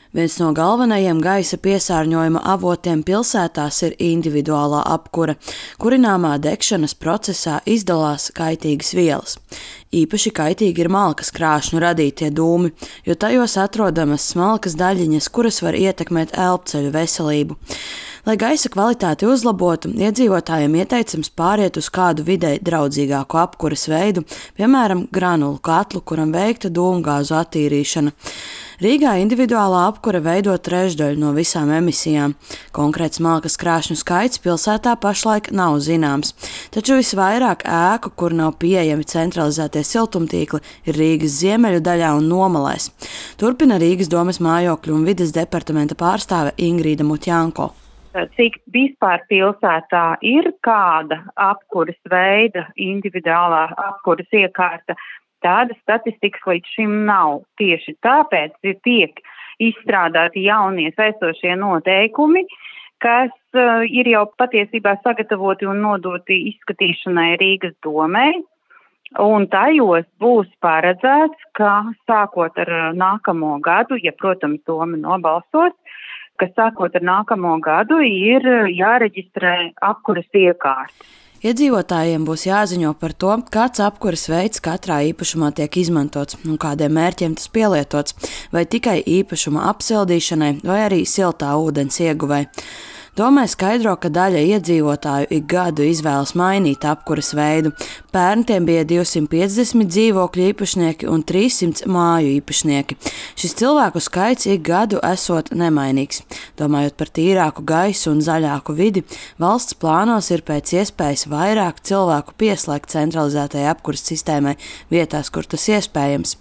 Viens no galvenajiem gaisa piesārņojuma avotiem pilsētās ir individuālā apkure. Kurināmā degšanas procesā izdalās kaitīgas vielas. Īpaši kaitīgi ir malkas krāšņu radītie dūmi, jo tajos atrodamas smalkas daļiņas, kuras var ietekmēt elpceļu veselību. Lai gaisa kvalitāti uzlabotu, iedzīvotājiem ieteicams pāriet uz kādu videi draudzīgāku apkures veidu, piemēram, granulu katlu, kuram veikta dūmgāzu attīrīšana. Rīgā individuālā apkure veido trešdaļu no visām emisijām. Konkrēts malkas krāšņu skaits pilsētā pašlaik nav zināms, taču visvairāk ēku, kur nav pieejami centralizētie siltumtīkli, ir Rīgas ziemeļu daļā un Nomalēs. Turpina Rīgas domes mājokļu un vides departamenta pārstāve Ingrīda Mutjanko. Cik vispār pilsētā ir kāda apkuras veida individuālā apkuras iekārta, tāda statistikas līdz šim nav. Tieši tāpēc tiek izstrādāti jaunie saistošie noteikumi, kas ir jau patiesībā sagatavoti un nodoti izskatīšanai Rīgas domei. Un tajos būs paredzēts, ka sākot ar nākamo gadu, ja, protams, doma nobalsos, ka sākot ar nākamo gadu ir jāreģistrē apkuras iekārta. Iedzīvotājiem būs jāziņo par to, kāds apkuras veids katrā īpašumā tiek izmantots un kādiem mērķiem tas pielietots, vai tikai īpašuma apsildīšanai, vai arī siltā ūdens ieguvei. Domē skaidro, ka daļa iedzīvotāju ik gadu izvēlas mainīt apkuras veidu. Pērn tiem bija 250 dzīvokļu īpašnieki un 300 māju īpašnieki. Šis cilvēku skaits ik gadu esot nemainīgs. Domājot par tīrāku gaisu un zaļāku vidi, valsts plānos ir pēc iespējas vairāk cilvēku pieslēgt centralizētajai apkuras sistēmai vietās, kur tas iespējams.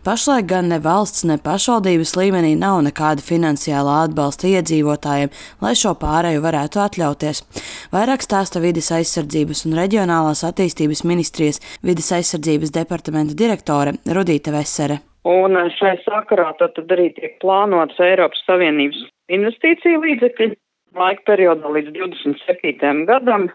Pašlaik gan ne valsts, ne pašvaldības līmenī nav nekāda finansiālā atbalsta iedzīvotājiem, lai šo pārēju varētu atļauties. Vairāk stāsta vides aizsardzības un reģionālās attīstības ministrijas vides aizsardzības departamenta direktore Rudīte Vesere. Un šai sakarā tad arī tiek plānots Eiropas Savienības investīciju līdzekļi laika periodā līdz 27. gadam.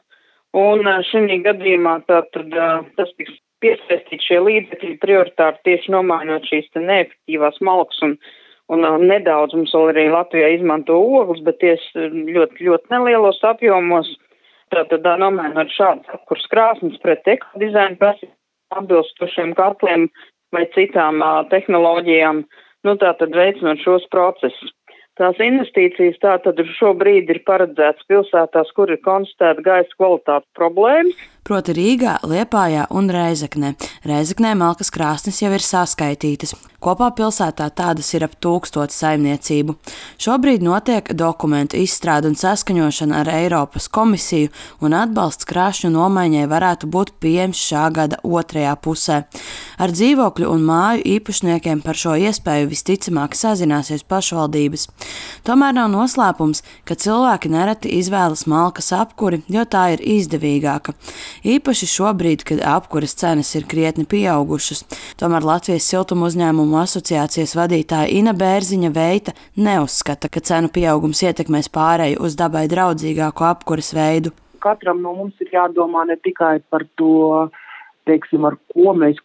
Un šī gadījumā tas tiks piesaistīts šie līdzekļi prioritāri tieši nomainot šīs neefektīvās malkas un nedaudz mums vēl arī Latvijā izmanto ogles, bet tieši ļoti nelielos apjomos. Tātad nomainot šādas apkuras krāsnes pret ekodizaina prasībām atbilstošiem katliem vai citām tehnoloģijām, tātad veicinot šos procesus. Tās investīcijas tātad šobrīd ir paredzētas pilsētās, kur ir konstatēta gaisa kvalitātes problēmas. Proti Rīgā, Liepājā un Rēzeknē. Rēzeknē malkas krāsnes jau ir saskaitītas. Kopā pilsētā tādas ir ap 1000 saimniecību. Šobrīd notiek dokumentu izstrāde un saskaņošana ar Eiropas komisiju, un atbalsts krāšņu nomaiņai varētu būt pieejams šā gada otrajā pusē. Ar dzīvokļu un māju īpašniekiem par šo iespēju visticamāk sazināsies pašvaldības. Tomēr nav noslēpums, ka cilvēki nereti izvēlas malkas apkuri, jo tā ir izdevīgāka. Īpaši šobrīd, kad apkuras cenas ir krietni pieaugušas. Tomēr Latvijas siltuma uzņēmumu asociācijas vadītāja Ina Bērziņa Veita neuzskata, ka cenu pieaugums ietekmēs pāreju uz dabai draudzīgāku apkuras veidu. Katram no mums ir jādomā ne tikai par to, ar ko mēs